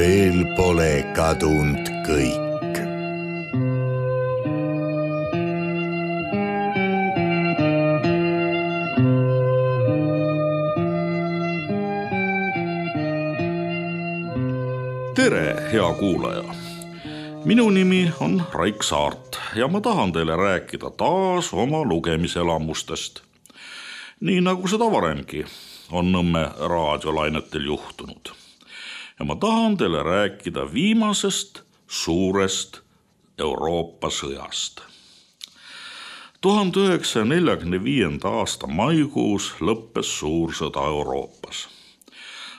veel pole kadunud kõik. Tere, hea kuulaja! Minu nimi on Raik Saart ja ma tahan teile rääkida taas oma lugemiselamustest. Nii nagu seda varemgi on Nõmme raadiolainetel juhtunud. Ja ma tahan teile rääkida viimasest suurest Euroopa sõjast. 1945. aasta maikuus lõppes suur sõda Euroopas.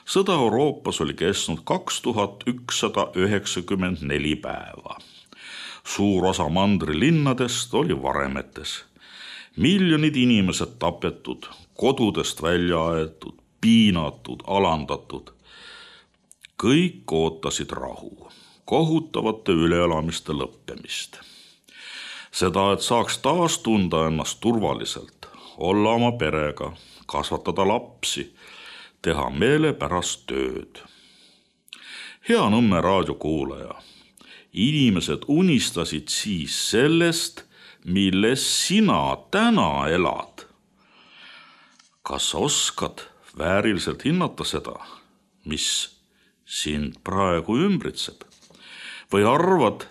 Sõda Euroopas oli kestnud 2194 päeva. Suur osa mandrilinnadest oli varemetes. Miljonid inimesed tapetud, kodudest välja aetud, piinatud, alandatud. Kõik ootasid rahu, kohutavate üleelamiste lõppemist. Seda, et saaks taas tunda ennast turvaliselt, olla oma perega, kasvatada lapsi, teha meelepärast tööd. Hea Nõmme raadiokuulaja, inimesed unistasid siis sellest, milles sina täna elad. Kas oskad vääriliselt hinnata seda, mis sind praegu ümbritseb? Või arvad,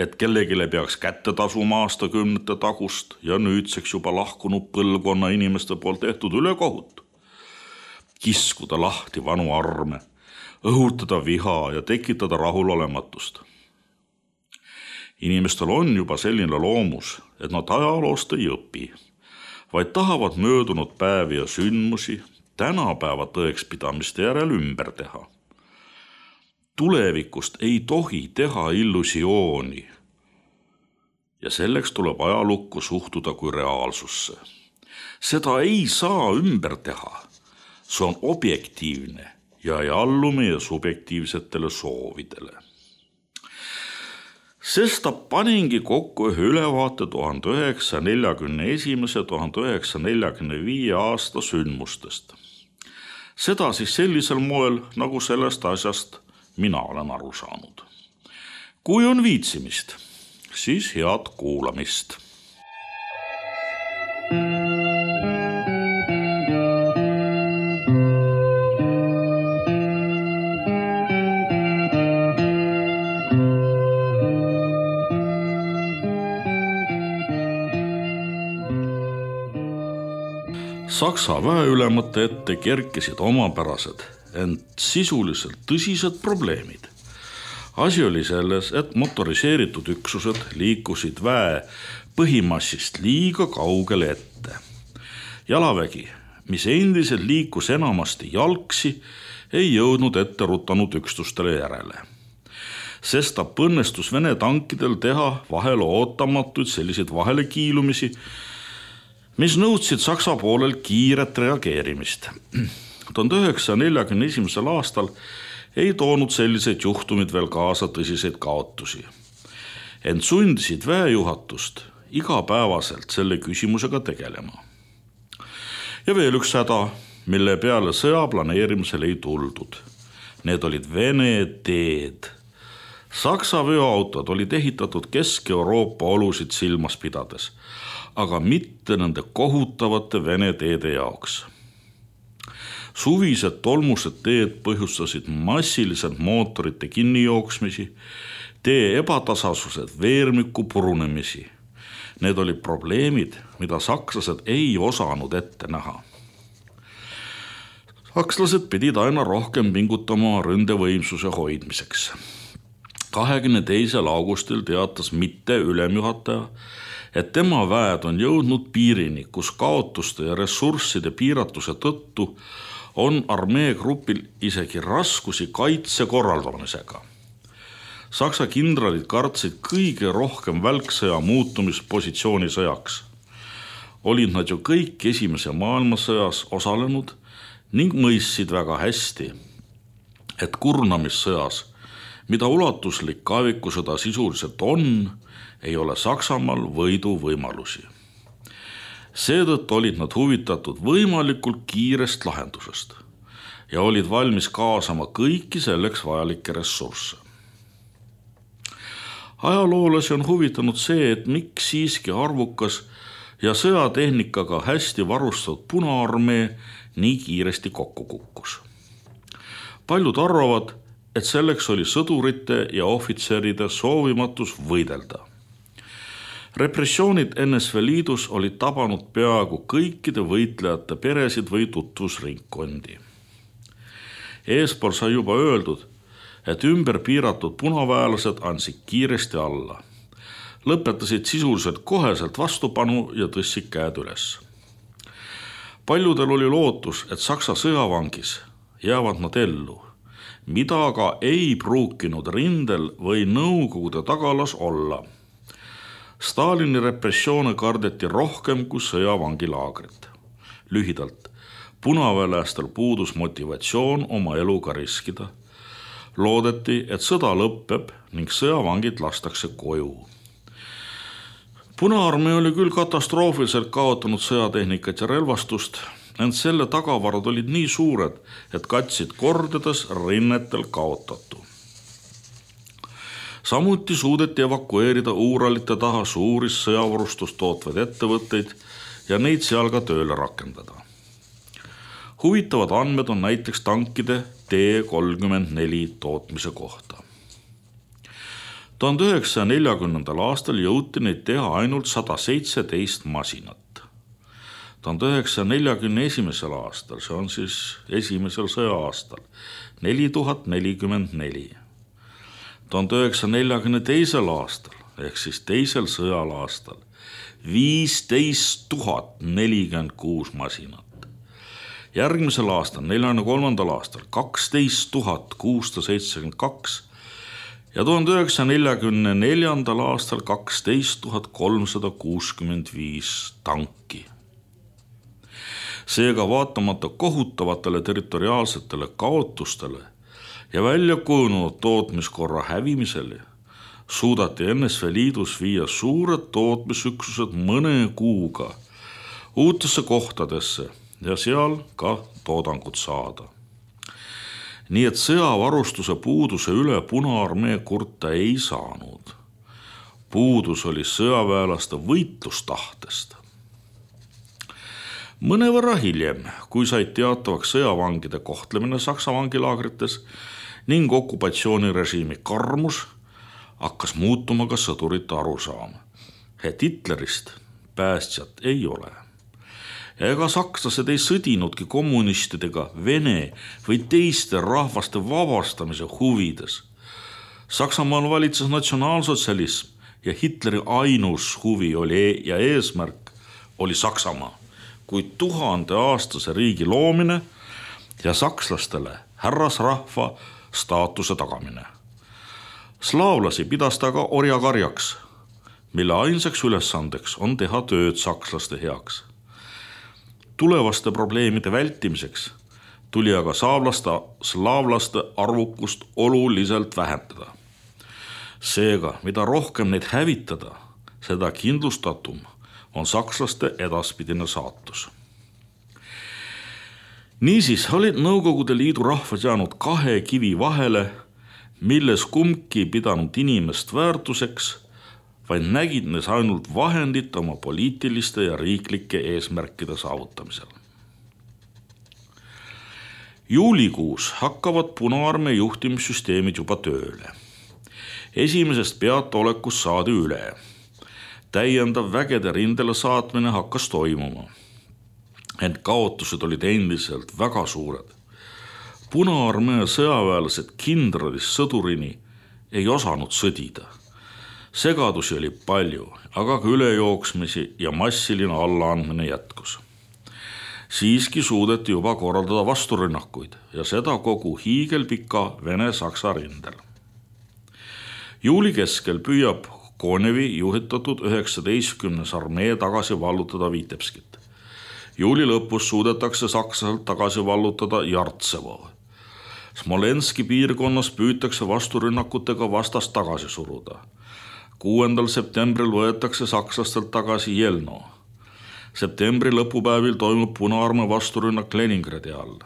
et kellegile peaks kätte tasuma aastakümnete tagust ja nüüdseks juba lahkunud põlvkonna inimeste poolt tehtud ülekohut? Kiskuda lahti vanu arme, õhutada viha ja tekitada rahulolematust. Inimestel on juba selline loomus, et nad ajaloost ei õpi, vaid tahavad möödunud päevi ja sündmusi tänapäeva tõekspidamiste järel ümber teha. Tulevikust ei tohi teha illusiooni ja selleks tuleb ajalukku suhtuda kui reaalsusse. Seda ei saa ümber teha. See on objektiivne ja ei allu meie subjektiivsetele soovidele. Sest paningi kokku ühe ülevaate 1941-1945 aasta sündmustest. Seda siis sellisel moel, nagu sellest asjast mina olen aru saanud. Kui on viitsimist, siis head kuulamist. Saksa väeülemate ette kerkisid omapärased, ent sisuliselt tõsised probleemid. Asi oli selles, et motoriseeritud üksused liikusid väe põhimassist liiga kaugele ette. Jalavägi, mis endiselt liikus enamasti jalgsi, ei jõudnud ette rutanud üksustele järele. Sest õnnestus Vene tankidel teha vahel ootamatuid selliseid vahelekiilumisi, mis nõudsid Saksa poolel kiiret reageerimist. 1941. aastal ei toonud selliseid juhtumid veel kaasa tõsiseid kaotusi. Ent sundisid väejuhatust igapäevaselt selle küsimusega tegelema. Ja veel üks häda, mille peale sõja planeerimisel ei tuldud. Need olid Vene teed. Saksa veoautod olid ehitatud Kesk-Euroopa olusid silmas pidades, aga mitte nende kohutavate Vene teede jaoks. Suvised tolmused teed põhjustasid massiliselt mootorite kinnijooksmisi, tee ebatasasused, veermiku purunemisi. Need olid probleemid, mida sakslased ei osanud ette näha. Sakslased pidid aina rohkem pingutama ründevõimsuse hoidmiseks. 22. augustil teatas mitte ülemjuhataja, et tema väed on jõudnud piirini, kus kaotuste ja ressursside piiratuse tõttu on armeegrupil isegi raskusi kaitse korraldamisega. Saksa kindralid kartsid kõige rohkem välksõja muutumispositsioonisõjaks. Olid nad ju kõik esimese maailmasõjas osalenud ning mõistsid väga hästi, et kurnamissõjas, mida ulatuslik kaevikusõda sisuliselt on, ei ole Saksamaal võidu võimalusi. Seetõttu olid nad huvitatud võimalikult kiirest lahendusest. ja olid valmis kaasama kõiki selleks vajalikke ressursse. Ajaloolasi on huvitanud see, et miks siiski arvukas ja sõjatehnikaga hästi varustatud Punaarmee nii kiiresti kokku kukkus. Paljud arvavad, et selleks oli sõdurite ja ohvitseride soovimatus võidelda. Repressioonid NSV Liidus olid tabanud peaaegu kõikide võitlejate peresid või tutvusringkondi. Eespool sai juba öeldud, et ümber piiratud punaväelased andsid kiiresti alla. Lõpetasid sisuliselt koheselt vastupanu ja tõstsid käed üles. Paljudel oli lootus, et Saksa sõjavangis jäävad nad ellu, mida aga ei pruukinud rindel või Nõukogude tagalas olla. Stalini repressioone kardeti rohkem kui sõjavangilaagrit. Lühidalt, punaväelastel puudus motivatsioon oma eluga riskida. Loodeti, et sõda lõppeb ning sõjavangid lastakse koju. Punaarmee oli küll katastroofiliselt kaotanud sõjatehnikat ja relvastust, ent selle tagavarad olid nii suured, et katsid kordades rinnetel kaotatu. Samuti suudeti evakueerida Uuralite taha suuri sõjavarustust tootvaid ettevõtteid ja neid seal ka tööle rakendada. Huvitavad andmed on näiteks tankide T-34 tootmise kohta. 1940. aastal jõuti neid teha ainult 117 masinat. 1941. aastal, see on siis esimesel sõja-aastal, 4044. 1942. aastal, ehk siis teisel sõjal aastal, 15 046 masinat. Järgmisel aastal, 43. aastal, 12 672 ja 1944. aastal 12 365 tanki. Seega vaatamata kohutavatele territoriaalsetele kaotustele ja välja kujunenud tootmiskorra hävimisele suudati NSV Liidus viia suured tootmisüksused mõne kuuga uutesse kohtadesse ja seal ka toodangut saada. Nii et sõjavarustuse puuduse üle Punaarmee kurta ei saanud. Puudus oli sõjaväelaste võitlustahtest. Mõnevõrra hiljem, kui said teatavaks sõjavangide kohtlemine Saksa vangilaagrites ning okupatsioonirežiimi karmus, hakkas muutuma ka sõdurite arusaam, et Hitlerist päästjat ei ole. Ega sakslased ei sõdinudki kommunistidega Vene või teiste rahvaste vabastamise huvides. Saksamaal valitses natsionaalsotsialism ja Hitleri ainus huvi oli ja eesmärk oli Saksamaa kui 1000-aastase riigi loomine ja sakslastele härrasrahva staatuse tagamine. Slaavlasi pidas ta ka orjakarjaks, mille ainsaks ülesandeks on teha tööd sakslaste heaks. Tulevaste probleemide vältimiseks tuli aga slaavlaste arvukust oluliselt vähendada. Seega, mida rohkem neid hävitada, seda kindlustatum on sakslaste edaspidine saatus. Niisiis olid Nõukogude Liidu rahvad jäänud kahe kivi vahele, milles kumbki pidanud inimest väärtuseks, vaid nägid neis ainult vahendit oma poliitiliste ja riiklike eesmärkide saavutamisel. Juulikuus hakkavad Punaarmee juhtimissüsteemid juba tööle. Esimesest peataolekust saadi üle. Täiendav vägede rindele saatmine hakkas toimuma. Ent kaotused olid endiselt väga suured. Punaarmee sõjaväelased kindralist sõdurini ei osanud sõdida. Segadusi oli palju, aga ka ülejooksmisi ja massiline allaandmine jätkus. Siiski suudeti juba korraldada vasturünnakuid ja seda kogu hiigelpika Vene-Saksa rindel. Juuli keskel püüab Konevi juhitatud 19. armee tagasi vallutada Vitebskit. Juuli lõpus suudetakse saksaselt tagasi vallutada Jartsevo. Smolenski piirkonnas püütakse vasturünnakutega vastast tagasi suruda. 6. septembril võetakse sakslastelt tagasi Jelno. Septembri lõpupäevil toimub Punaarmee vasturünnak Leningradi all.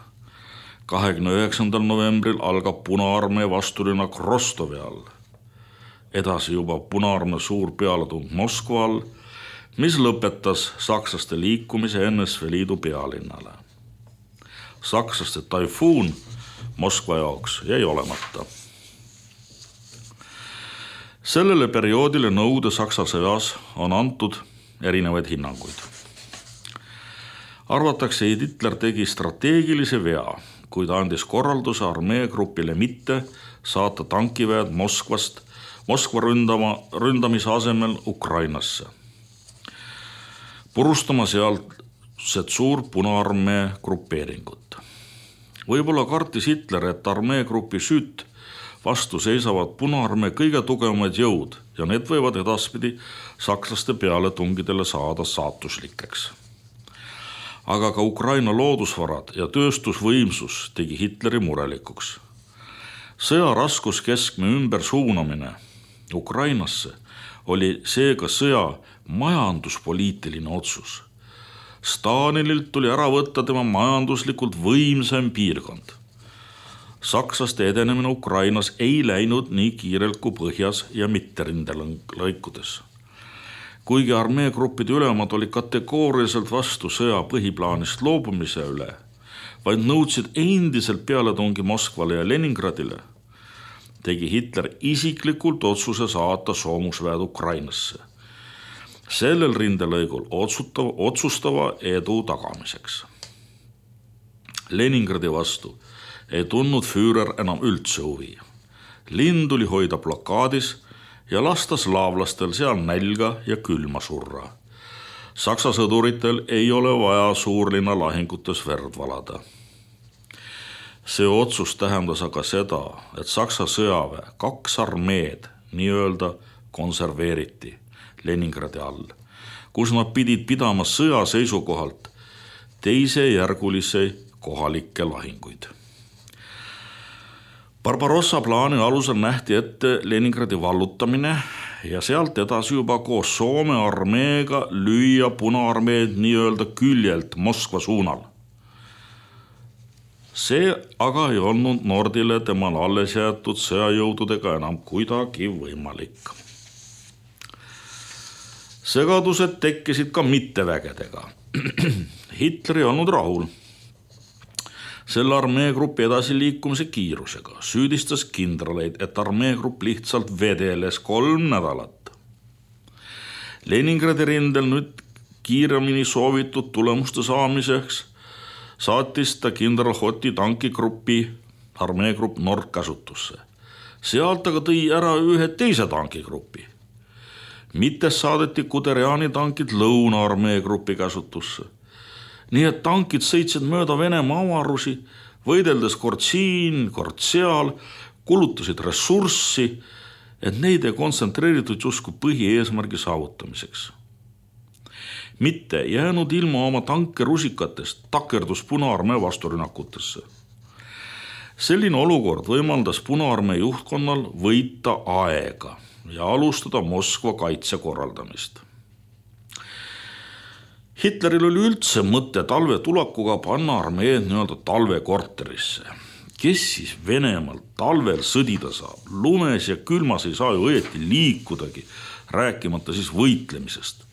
29. novembril algab Punaarmee vasturünnak Rostovi all. Edasi juba Punaarmee suur pealetung Moskva all, mis lõpetas sakslaste liikumise NSV Liidu pealinnale. Sakslaste taifuun Moskva jaoks jäi olemata. Sellele perioodile Nõukogude Saksa sõjas on antud erinevaid hinnanguid. Arvatakse, et Hitler tegi strateegilise vea, kui ta andis korralduse armeegrupile mitte saata tankiväed Moskva ründamise asemel Ukrainasse, purustama sealset suur Punaarmee grupeeringut. Võib-olla kartis Hitler, et armeegrupi süüt vastu seisavad Punaarmee kõige tugevamad jõud ja need võivad edaspidi sakslaste pealetungidele saada saatuslikeks. Aga ka Ukraina loodusvarad ja tööstusvõimsus tegi Hitleri murelikuks. Sõja raskuskeskme ümbersuunamine Ukrainasse oli seega sõja majanduspoliitiline otsus. Stalinilt tuli ära võtta tema majanduslikult võimsam piirkond. Sakslaste edenemine Ukrainas ei läinud nii kiirelt kui põhjas ja mitterindelaikudes. Kuigi armeegruppide ülemad oli kategooriliselt vastu sõja põhiplaanist loobumise üle, vaid nõudsid endiselt pealetungi Moskvale ja Leningradile, tegi Hitler isiklikult otsuse saata soomusväed Ukrainasse. Sellel rindelõigul otsustava edu tagamiseks. Leningradi vastu ei tundnud Führer enam üldse huvi. Linn tuli hoida blokaadis ja lasta slaavlastel seal nälga ja külma surra. Saksa sõduritel ei ole vaja suurlinna lahingutes verd valada. See otsus tähendas aga seda, et Saksa sõjaväe 2 armeed nii-öelda konserveeriti Leningradi all, kus nad pidid pidama sõja seisukohalt teisejärgulisi kohalikke lahinguid. Barbarossa plaani alusel nähti ette Leningradi vallutamine ja sealt edasi juba koos Soome armeega lüüa Punaarmeed nii-öelda küljelt Moskva suunal. See aga ei olnud Nordile temal alles jäetud sõjajõududega enam kuidagi võimalik. Segadused tekkisid ka mittevägedega. Hitler ei olnud rahul selle armeegrupi edasiliikumise kiirusega, süüdistas kindraleid, et armeegrupp lihtsalt vedeles 3 nädalat. Leningradi rindel nüüd kiiremini soovitud tulemuste saamiseks saatis ta kindral Hoti tankigruppi armeegrupp Nord kasutusse. Sealt aga tõi ära ühe teise tankigruppi. Mitte saadeti Guderiani tankid Lõuna-armeegruppi kasutusse. Nii et tankid sõitsid mööda Venemaa avarusi, võideldes kord siin, kord seal, kulutasid ressurssi, et neid ei kontsentreeritud justkui põhieesmärgi saavutamiseks. Mitte jäänud ilma oma tanke rusikatest takerdus Punaarmee vasturünnakutesse. Selline olukord võimaldas Punaarmee juhtkonnal võita aega ja alustada Moskva kaitse korraldamist. Hitleril oli üldse mõte talve tulakuga panna armeed nii-öelda talvekorterisse. Kes siis Venemaal talvel sõdida saab? Lumes ja külmas ei saa ju õieti liikudagi, rääkimata siis võitlemisest.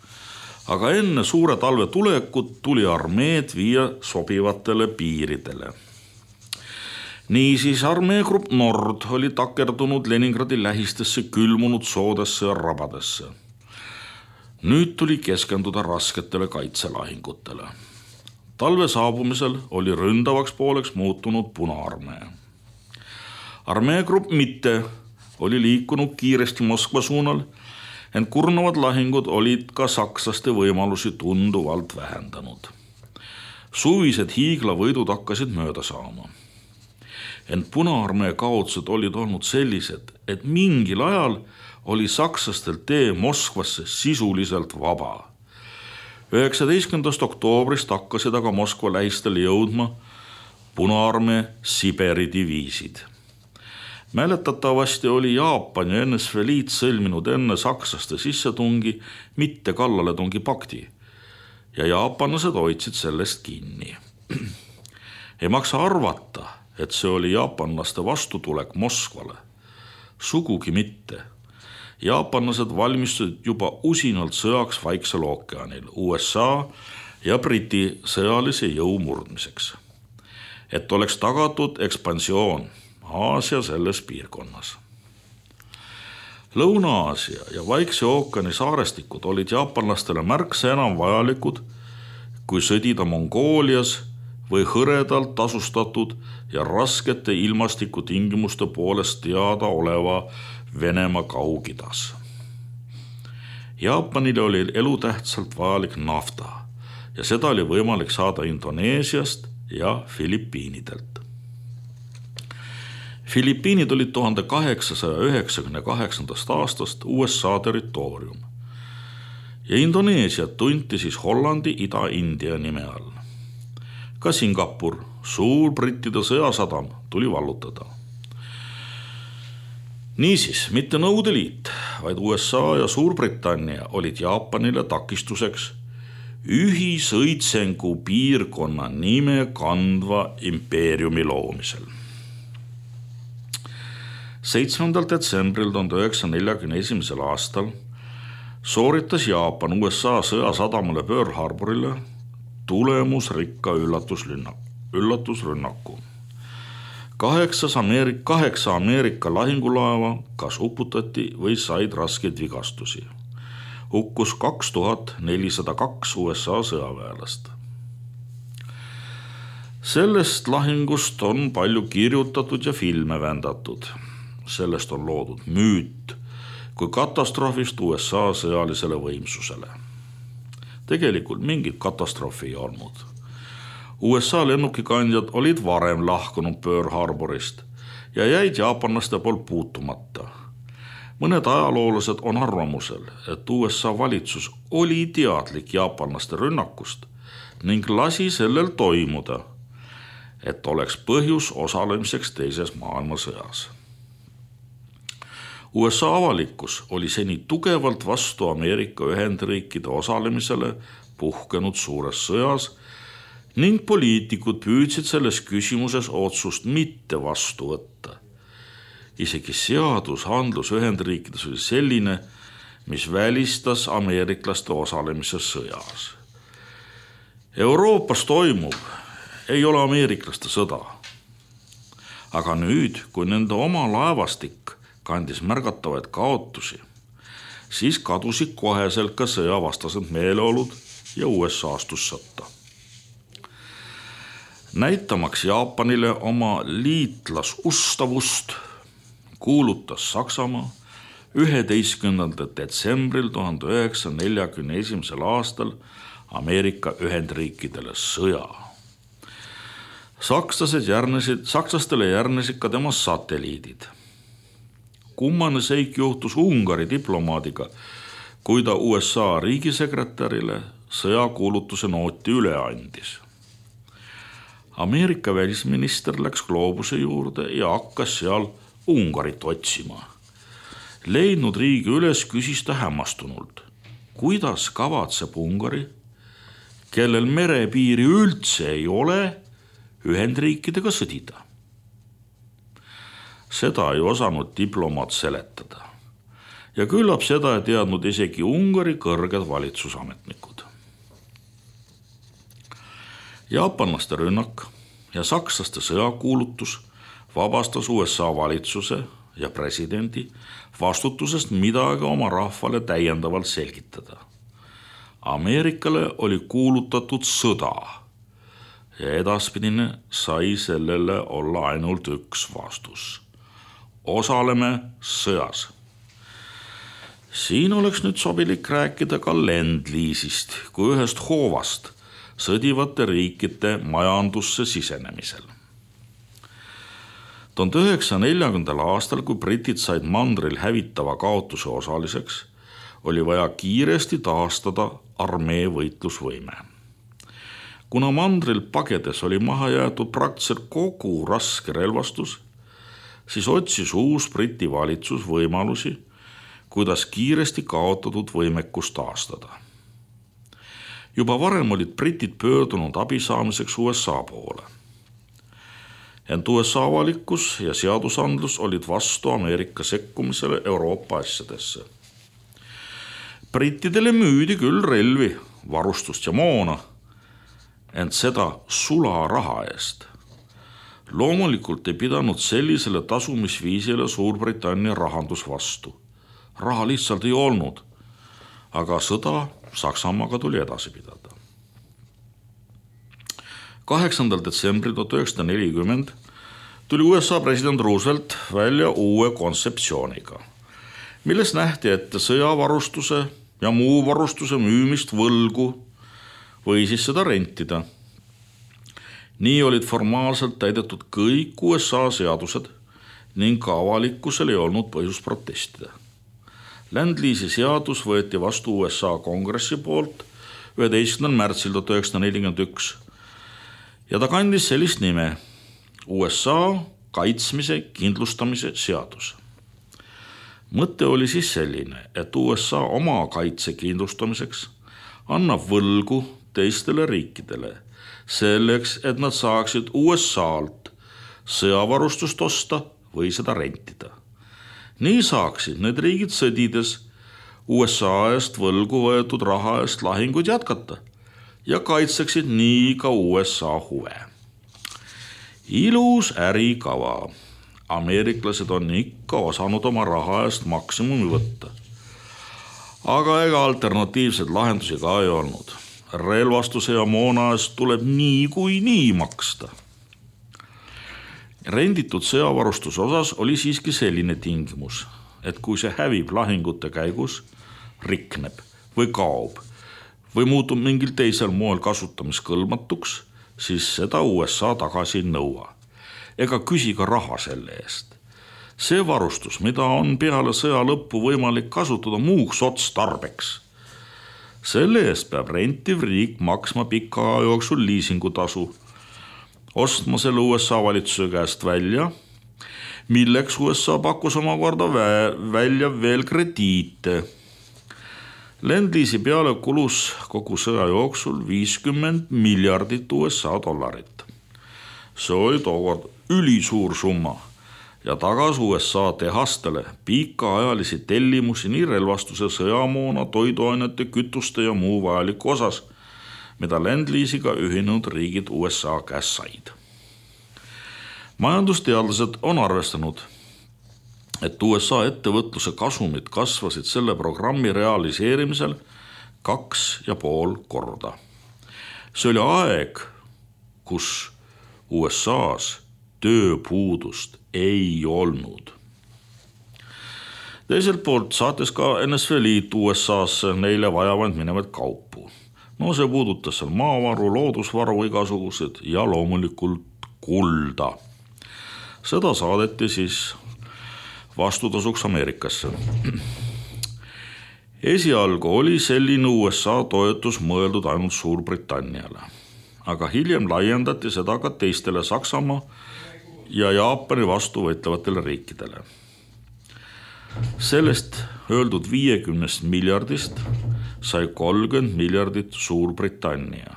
Aga enne suure talve tulekut tuli armeed viia sobivatele piiridele. Niisiis armeegrupp Nord oli takerdunud Leningradi lähistesse külmunud soodesse ja rabadesse. Nüüd tuli keskenduda rasketele kaitselahingutele. Talve saabumisel oli ründavaks pooleks muutunud Punaarmee. Armeegrupp mitte oli liikunud kiiresti Moskva suunal, ent kurnavad lahingud olid ka sakslaste võimalusi tunduvalt vähendanud. Suvised hiiglavõidud hakkasid mööda saama. Ent Punaarmee kaotused olid olnud sellised, et mingil ajal oli sakslastel tee Moskvasse sisuliselt vaba. 19. oktoobrist hakkasid aga Moskva lähistele jõudma Punaarmee Siberi diviisid. Mäletatavasti oli Jaapan ja NSV Liit sõlminud enne sakslaste sissetungi mitte kallaletungi pakti ja jaapanlased hoidsid sellest kinni. Ei maksa arvata, et see oli jaapanlaste vastutulek Moskvale. Sugugi mitte. Jaapanlased valmistusid juba usinalt sõjaks Vaiksel ookeanil, USA ja Briti sõjalise jõu murdmiseks, et oleks tagatud ekspansioon Aasia selles piirkonnas. Lõuna-Aasia ja Vaikse ookeani saarestikud olid jaapanlastele märksa enam vajalikud, kui sõdida Mongoolias või hõredalt tasustatud ja raskete ilmastikutingimuste poolest teada oleva Venemaa Kaug-Idas. Jaapanile oli elutähtsalt vajalik nafta ja seda oli võimalik saada Indoneesiast ja Filipiinidelt. Filipiinid olid 1898. aastast USA territoorium ja Indoneesiat tunti siis Hollandi Ida-India nime all. Ka Singapur, suur brittide sõjasadam, tuli vallutada. Niisiis, mitte Nõukogude Liit, vaid USA ja Suurbritannia olid Jaapanile takistuseks ühisõitsengu piirkonna nime kandva impeeriumi loomisel. 7. detsembril 1941. aastal sooritas Jaapan USA sõjasadamale Pearl Harborile tulemusrikka üllatusrünnaku. 8 Ameerika lahingulaeva kas uputati või said raskeid vigastusi. Hukkus 2402 USA sõjaväelast. Sellest lahingust on palju kirjutatud ja filme vändatud. Sellest on loodud müüt kui katastroofist USA sõjalisele võimsusele. Tegelikult mingit katastroofi ei olnud. USA lennukikandjad olid varem lahkunud Pearl Harborist ja jäid jaapanlaste poolt puutumata. Mõned ajaloolased on arvamusel, et USA valitsus oli teadlik jaapanlaste rünnakust ning lasi sellel toimuda, et oleks põhjus osalemiseks teises maailmasõjas. USA avalikkus oli seni tugevalt vastu Ameerika Ühendriikide osalemisele puhkenud suures sõjas ning poliitikud püüdsid selles küsimuses otsust mitte vastu võtta. Isegi seadusandlus Ühendriikides oli selline, mis välistas ameeriklaste osalemise sõjas. Euroopas toimub ei ole ameeriklaste sõda. Aga nüüd, kui nende oma laevastik kandis märgatavaid kaotusi, siis kadusid koheselt ka sõjavastased meeleolud ja USA astus sõtta. Näitamaks Jaapanile oma liitlasustavust, kuulutas Saksamaa 11. detsembril 1941. aastal Ameerika Ühendriikidele sõja. Sakslastele järgnesid ka tema satelliidid. Kummane seik juhtus Ungari diplomaadiga, kui ta USA riigisekretärile sõjakuulutuse nooti üle andis. Ameerika välisminister läks gloobuse juurde ja hakkas seal Ungarit otsima. Leidnud riigi üles küsis ta hämmastunult, kuidas kavatseb Ungari, kellel merepiiri üldse ei ole, Ühendriikidega sõdida. Seda ei osanud diplomaat seletada ja küllap seda ei teadnud isegi Ungari kõrged valitsusametnikud. Jaapanlaste rünnak ja sakslaste sõjakuulutus vabastas USA valitsuse ja presidendi vastutusest midagi oma rahvale täiendavalt selgitada. Ameerikale oli kuulutatud sõda ja edaspidine sai sellele olla ainult üks vastus. Osaleme sõjas. Siin oleks nüüd sobilik rääkida ka Lend-Lease'ist kui ühest hoovast sõdivate riikide majandusse sisenemisel. 1940. aastal, kui britid said mandril hävitava kaotuse osaliseks, oli vaja kiiresti taastada armee võitlusvõime. Kuna mandril pagedes oli maha jäetud praktiliselt kogu raske relvastus, siis otsis uus Briti valitsus võimalusi, kuidas kiiresti kaotatud võimekust taastada. Juba varem olid britid pöördunud abi saamiseks USA poole. ent USA avalikkus ja seadusandlus olid vastu Ameerika sekkumisele Euroopa asjadesse. Brittidele müüdi küll relvi, varustust ja moona, ent seda sularaha eest. Loomulikult ei pidanud sellisele tasumisviisile Suurbritannia rahandus vastu. Raha lihtsalt ei olnud, aga sõda Saksamaaga tuli edasi pidada. 8. detsembril 1940 tuli USA president Roosevelt välja uue kontseptsiooniga, milles nähti ette sõjavarustuse ja muu varustuse müümist võlgu või siis seda rentida. Nii olid formaalselt täidetud kõik USA seadused ning ka avalikkusel ei olnud põhjust protestida. Land-Lease'i seadus võeti vastu USA kongressi poolt 11. märtsil 1941 ja ta kandis sellist nime USA kaitsmise kindlustamise seadus. Mõte oli siis selline, et USA oma kaitse kindlustamiseks annab võlgu teistele riikidele selleks, et nad saaksid USA-lt sõjavarustust osta või seda rentida. Nii saaksid need riigid sõdides USA eest võlgu võetud raha eest lahinguid jätkata ja kaitseksid nii ka USA huve. Ilus ärikava. Ameeriklased on ikka osanud oma raha eest maksimumi võtta. Aga ega alternatiivseid lahendusi ka ei olnud. Relvastuse ja moona eest tuleb nii maksta. Renditud sõjavarustuse osas oli siiski selline tingimus, et kui see hävib lahingute käigus, rikneb või kaob või muutub mingil teisel moel kasutamiskõlbmatuks, siis seda USA tagasi ei nõua ega küsi ka raha selle eest. See varustus, mida on peale sõja lõppu võimalik kasutada muuks otstarbeks, selle eest peab rentiv riik maksma pika aja jooksul liisingutasu, ostma selle USA valitsuse käest välja, milleks USA pakkus omakorda välja veel krediite. Land-Lease'i peale kulus kogu sõja jooksul 50 miljardit USA dollarit. See oli tookord ülisuur summa ja tagas USA tehastele pikaajalisi tellimusi nii relvastuse, sõjamoona, toiduainete, kütuste ja muu vajaliku osas, mida Land-Lease'iga ühinenud riigid USA käest said. Majandusteadlased on arvestanud, et USA ettevõtluse kasumid kasvasid selle programmi realiseerimisel 2,5 korda. See oli aeg, kus USA-s tööpuudust ei olnud. Teiselt poolt saatis ka NSV Liit USA-sse neile vajavand minevad kaupu. No see puudutas seal maavaru, loodusvaru igasugused ja loomulikult kulda. Seda saadeti siis vastutasuks Ameerikasse. Esialgu oli selline USA toetus mõeldud ainult Suurbritanniale, aga hiljem laiendati seda ka teistele Saksamaa ja Jaapani vastu võitlevatele riikidele. Sellest öeldud 50 miljardist sai 30 miljardit Suurbritannia.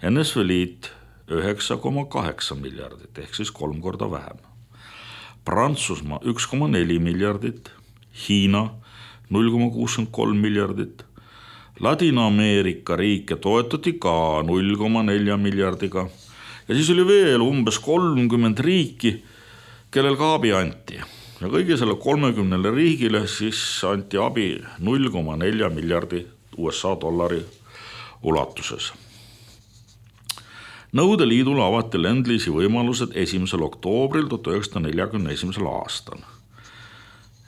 NSV Liit 9,8 miljardit ehk siis 3 korda vähem. Prantsusmaa 1,4 miljardit, Hiina 0,63 miljardit, Ladina-Ameerika riike toetati ka 0,4 miljardiga ja siis oli veel umbes 30 riiki, kellel ka abi anti. Ja kõigi selle 30 riigile siis anti abi 0,4 miljardi USA dollari ulatuses. Nõudeliidule avati Land-Lease'i võimalused 1. oktoobril 1941. aastal.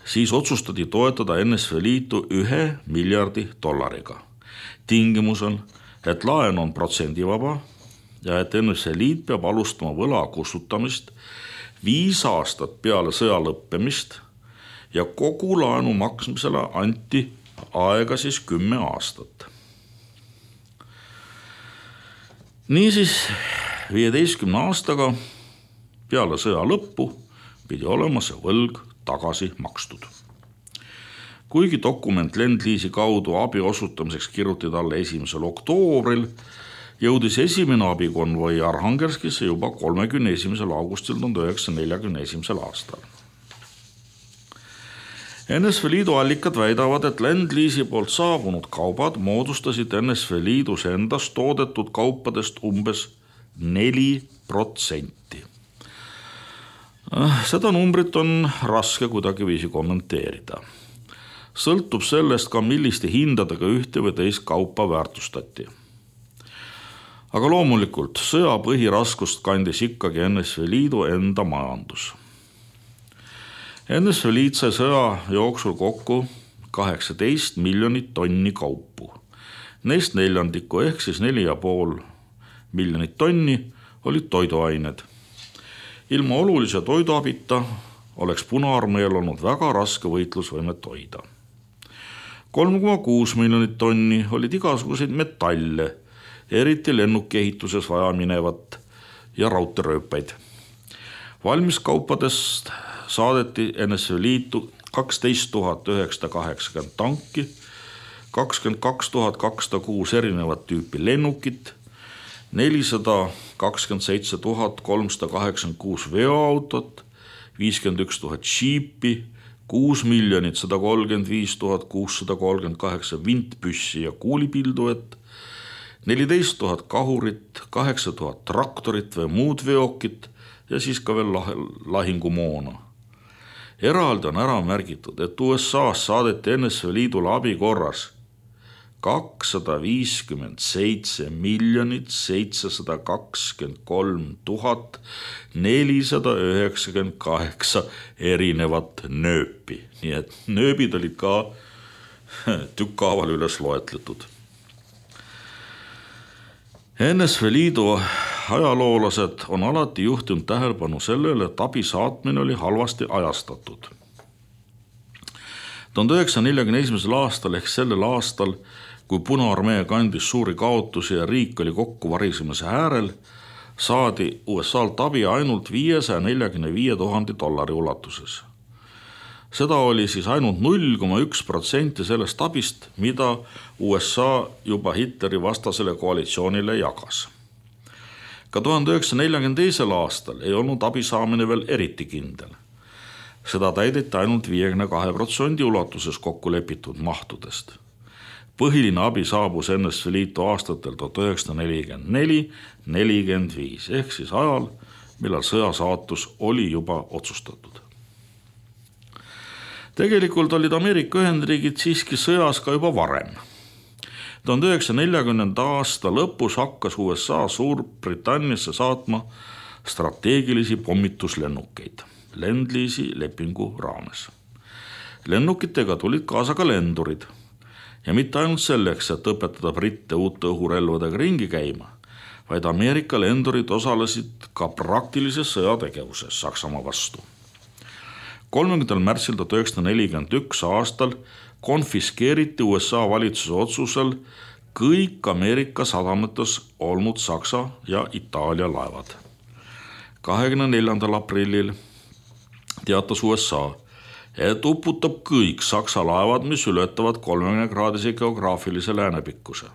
Siis otsustati toetada NSV Liitu 1 miljardi dollariga. Tingimusel, et laen on protsendivaba ja et NSV Liit peab alustama võla kustutamist 5 aastat peale sõja lõppemist ja kogu laenu maksmisele anti aega siis 10 aastat. Niisiis 15 aastaga peale sõja lõppu pidi olema see võlg tagasi makstud. Kuigi dokument Land-Lease'i kaudu abi osutamiseks kirjutati talle 1. oktoobril, jõudis esimene abikonvoi Arhangelskisse juba 31. augustil 1941. aastal. NSV Liidu allikad väidavad, et Lend-Leasi poolt saabunud kaubad moodustasid NSV Liidus endas toodetud kaupadest umbes 4%. Seda numbrit on raske kuidagiviisi kommenteerida. Sõltub sellest ka, milliste hindadega ühte või teist kaupa väärtustati. Aga loomulikult sõja põhiraskust kandis ikkagi NSV Liidu enda majandus. NSV Liit sai sõja jooksul kokku 18 miljonit tonni kaupu. Neist neljandiku ehk siis 4,5 miljonit tonni olid toiduained. Ilma olulise toiduabita oleks Punaarmeel olnud väga raske võitlusvõimet hoida. 3,6 miljonit tonni olid igasuguseid metalle, eriti lennukiehituses vaja minevat ja raudteerööpaid. Valmiskaupadest saadeti NSV Liitu 12 980 tanki, 22 206 erinevat tüüpi lennukit, 427 386 veoautot, 51 000 džiipi, 6 135 638 vintpüssi ja kuulipilduet, 14 000 kahurit, 8 000 traktorit või muud veokit ja siis ka veel lahingumoona. Eraldi on ära märgitud, et USA-s saadeti NSV Liidule abi korras 257 723 498 erinevat nööpi. Nii et nööbid olid ka tükkaaval üles loetletud. NSV Liidu ajaloolased on alati juhtinud tähelepanu sellele, et abi saatmine oli halvasti ajastatud. 1941. aastal ehk sellel aastal, kui Punaarmee kandis suuri kaotusi ja riik oli kokkuvarisemise äärel, saadi USA-lt abi ainult $545 000 ulatuses. Seda oli siis ainult 0,1% sellest abist, mida USA juba Hitleri vastasele koalitsioonile jagas. Ka 1942. aastal ei olnud abi saamine veel eriti kindel. Seda täideti ainult 52% ulatuses kokku lepitud mahtudest. Põhiline abi saabus NSV Liitu aastatel 1944-45 ehk siis ajal, millal sõja saatus oli juba otsustatud. Tegelikult olid Ameerika Ühendriigid siiski sõjas ka juba varem. 1940. aasta lõpus hakkas USA Suurbritanniasse saatma strateegilisi pommituslennukeid Lend-Leasi lepingu raames. Lennukitega tulid kaasa ka lendurid ja mitte ainult selleks, et õpetada britte uute õhurelvadega ringi käima, vaid Ameerika lendurid osalesid ka praktilises sõjategevuses Saksamaa vastu. 30. märtsil 1941 aastal konfiskeeriti USA valitsuse otsusel kõik Ameerika sadamates olnud Saksa ja Itaalia laevad. 24. aprillil teatas USA, et uputab kõik Saksa laevad, mis ületavad 30-kraadise geograafilise läänepikkuse.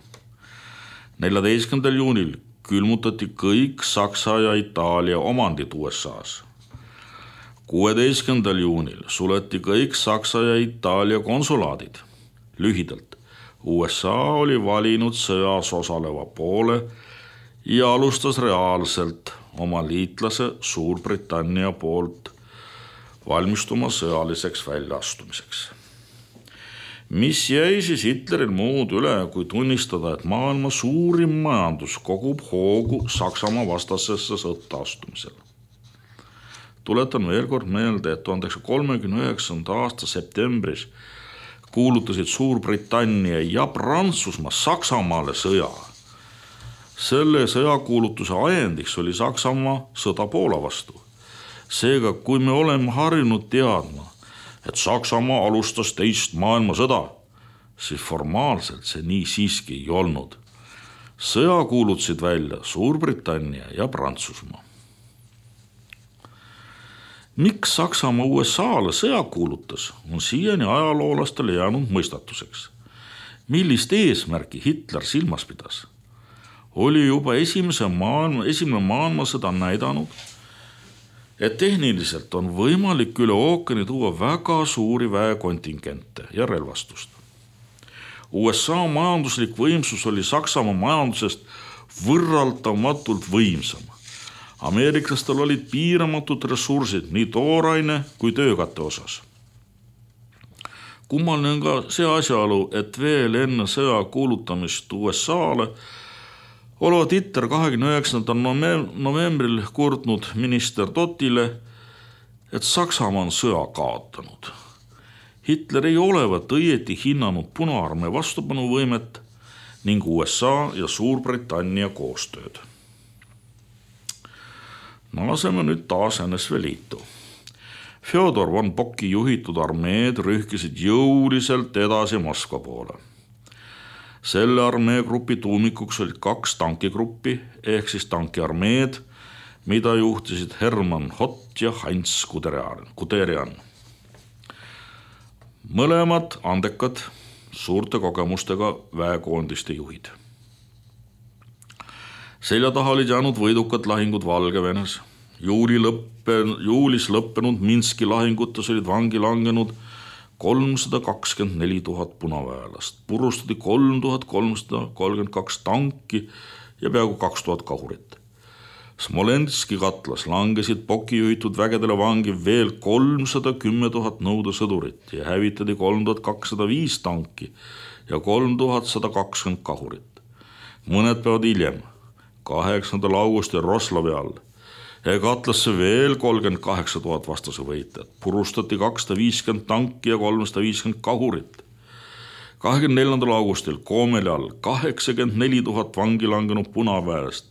14. juunil külmutati kõik Saksa ja Itaalia omandid USA-s. 16. juunil suleti kõik Saksa ja Itaalia konsulaadid. Lühidalt, USA oli valinud sõjas osaleva poole ja alustas reaalselt oma liitlase Suurbritannia poolt valmistuma sõjaliseks väljaastumiseks. Mis jäi siis Hitleril muud üle, kui tunnistada, et maailma suurim majandus kogub hoogu Saksamaa vastasesse sõtta astumisel. Tuletan veel kord meelde, et 1939. aasta septembris kuulutasid Suurbritannia ja Prantsusmaa Saksamaale sõja. Selle sõjakuulutuse ajendiks oli Saksamaa sõda Poola vastu. Seega, kui me oleme harjunud teadma, et Saksamaa alustas teist maailmasõda, siis formaalselt see nii siiski ei olnud. Sõja kuulutasid välja Suurbritannia ja Prantsusmaa. Miks Saksamaa USA-le sõja kuulutas, on siiani ajaloolastele jäänud mõistatuseks. Millist eesmärki Hitler silmas pidas? oli juba esimene maailmasõda näidanud, et tehniliselt on võimalik üle ookeani tuua väga suuri väekontingente ja relvastust. USA majanduslik võimsus oli Saksamaa majandusest võrreldamatult võimsam. Ameeriklastel olid piiramatud ressursid nii tooraine kui töökate osas. Kummaline on ka see asjaolu, et veel enne sõja kuulutamist USA-le olevat Hitler 29. novembril kurtnud minister Tottile, et Saksamaa on sõja kaotanud. Hitler ei olevat õieti hinnanud Punaarmee vastupanuvõimet ning USA ja Suurbritannia koostööd. Naaseme nüüd taas NSV Liitu. Fjodor von Bocki juhitud armeed rühkisid jõuliselt edasi Moskva poole. Selle armeegrupi tuumikuks olid 2 tankigruppi ehk siis tankiarmeed, mida juhtisid Hermann Hott ja Heinz Guderian. Mõlemad andekad, suurte kogemustega väekoondiste juhid. Selja taha olid jäänud võidukad lahingud Valgevenes. Juulis lõppenud Minski lahingutes olid vangi langenud 324 000 punaväelast, purustati 3332 tanki ja peaaegu 2000 kahurit. Smolenski katlas langesid Bocki juhitud vägedele vangi veel 310 000 nõudesõdurit ja hävitati 3205 tanki ja 3120 kahurit. Mõned päevad hiljem, 8. augustil Roslovi all, ja katlasse veel 38 000 vastase võitlejat, purustati 250 tanki ja 350 kahurit. 24. augustil Koomeli all 84 000 vangi langenud punaväest,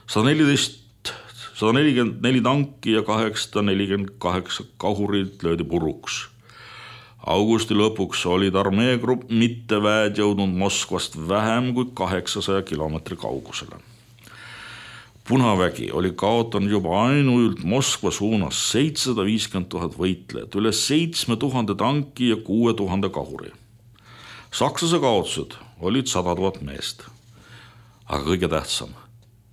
144 tanki ja 848 kahurit löödi puruks. Augusti lõpuks olid armeegrupp mitteväed jõudnud Moskvast vähem kui 800 kilomeetri kaugusele. Punavägi oli kaotanud juba ainult Moskva suunas 750 000 võitlejat, üle 7000 tanki ja 6000 kahuri. Sakslase kaotused olid 100 000 meest. Aga kõige tähtsam,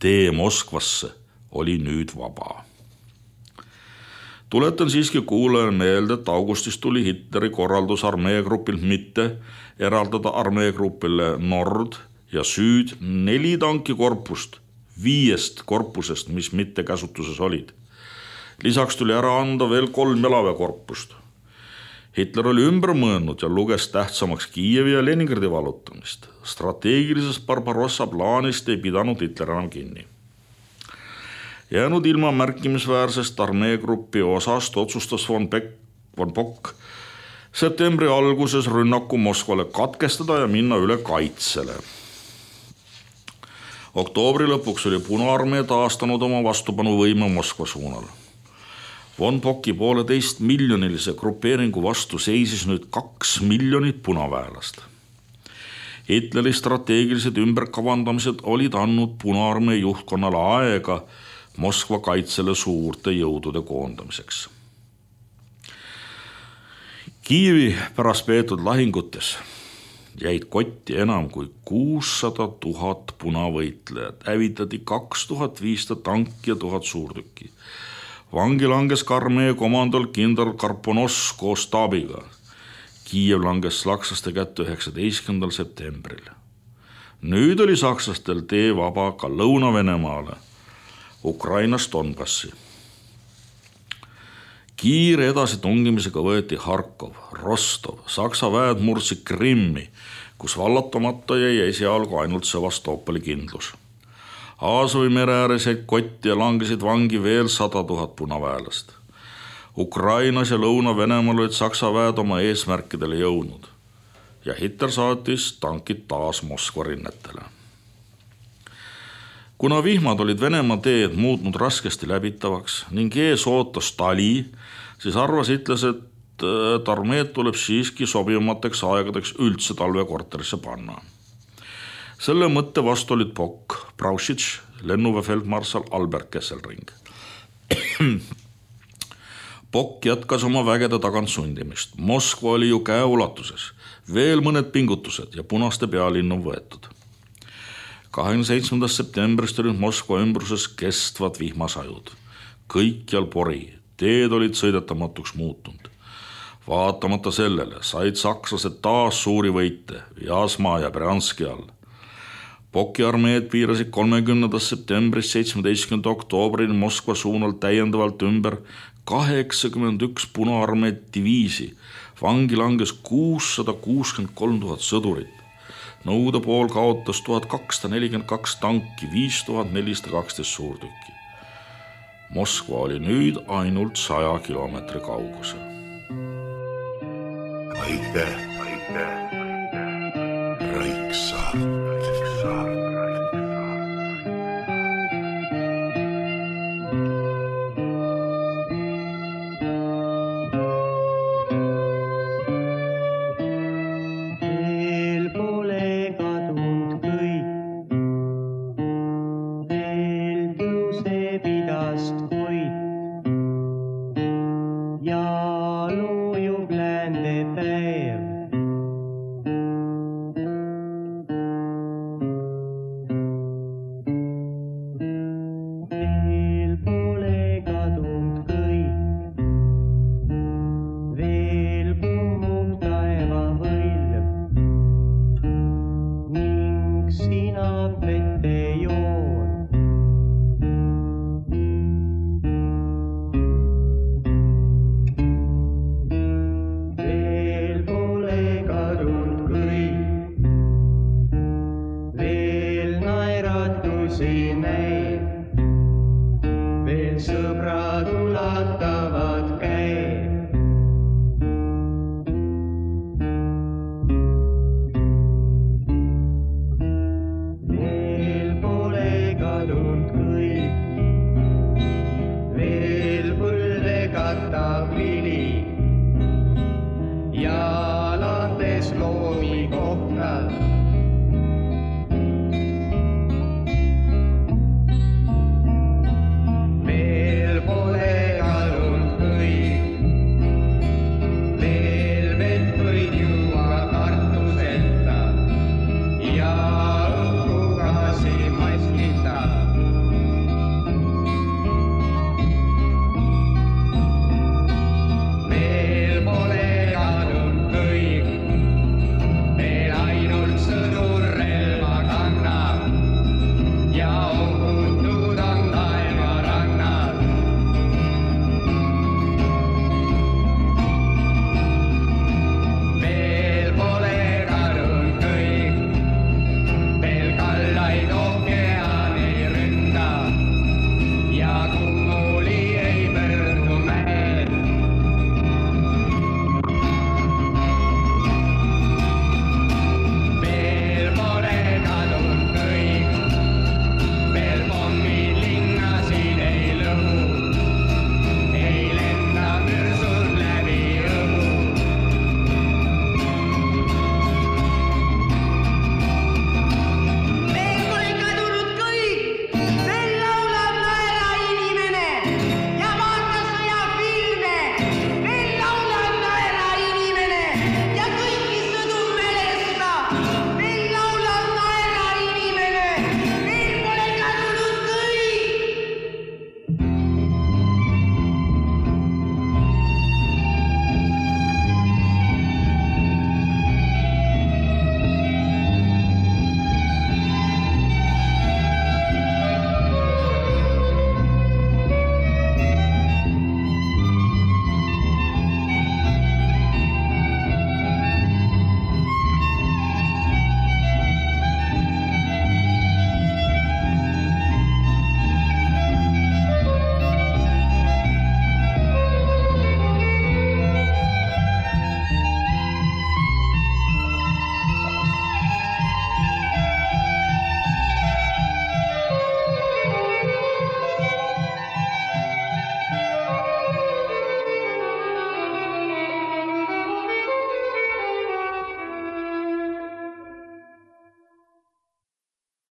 tee Moskvasse oli nüüd vaba. Tuletan siiski kuulajale meelde, et augustis tuli Hitleri korraldus armeegrupilt mitte eraldada armeegrupile Nord ja Süd 4 tankikorpust 5 korpusest, mis mitte käsutuses olid. Lisaks tuli ära anda veel 3 jalaväekorpust. Hitler oli ümber mõelnud ja luges tähtsamaks Kiievi ja Leningradi vallutamist. Strateegilisest Barbarossa plaanist ei pidanud Hitler enam kinni. Jäänud ilma märkimisväärsest armeegruppi osast otsustas von Bock septembri alguses rünnaku Moskvale katkestada ja minna üle kaitsele. Oktoobri lõpuks oli Punaarmee taastanud oma vastupanuvõime Moskva suunal. Von Bocki 1,5 miljonilise grupeeringu vastu seisis nüüd 2 miljonit punaväelast. Hitleri strateegilised ümberkavandamised olid andnud Punaarmee juhtkonnale aega Moskva kaitsele suurte jõudude koondamiseks. Kiievi pärast peetud lahingutes jäid kotti enam kui 600 000 punavõitlejat, hävitati 2500 tanki ja 1000 suurtükki. Vangi langes ka armee komandol kindral Karponos koos staabiga. Kiiev langes sakslaste kätte 19. septembril. Nüüd oli sakslastel tee vaba ka Lõuna-Venemaale, Ukrainast Donbassi. Kiire edasitungimisega võeti Harkov, Rostov, Saksa väed murdsid Krimmi, kus vallatamata jäi esialgu ainult Sevastopoli kindlus. Aasovi mere ääres jäid kotti ja langesid vangi veel 100 000 punaväelast. Ukrainas ja Lõuna-Venemaal olid Saksa väed oma eesmärkidele jõudnud ja Hitler saatis tankid taas Moskva rinnetele. Kuna vihmad olid Venemaa teed muutnud raskesti läbitavaks ning ees ootas tali, siis arvas Hitler, et armeed tuleb siiski sobivamateks aegadeks üldse talvekorterisse panna. Selle mõtte vastu olid Bock, Brauchitsch, lennuväefeldmarssal Albert Kesselring. Bock jätkas oma vägede tagant sundimist. Moskva oli ju käeulatuses, veel mõned pingutused ja punaste pealinn on võetud. 27. septembrist olid Moskva ümbruses kestvad vihmasajud. Kõikjal pori, teed olid sõidetamatuks muutunud. Vaatamata sellele said sakslased taas suuri võite Jasmaa ja Brjanski all. Poki armeed piirasid 30. septembrist 17. oktoobrini Moskva suunal täiendavalt ümber 81 Punaarmeed diviisi. Vangi langes 663 000 sõdurit. Nõukogude pool kaotas 1242 tanki, 5412 suurtükki. Moskva oli nüüd ainult 100 kilomeetri kaugusel. Aitäh, Raiksaar. See name.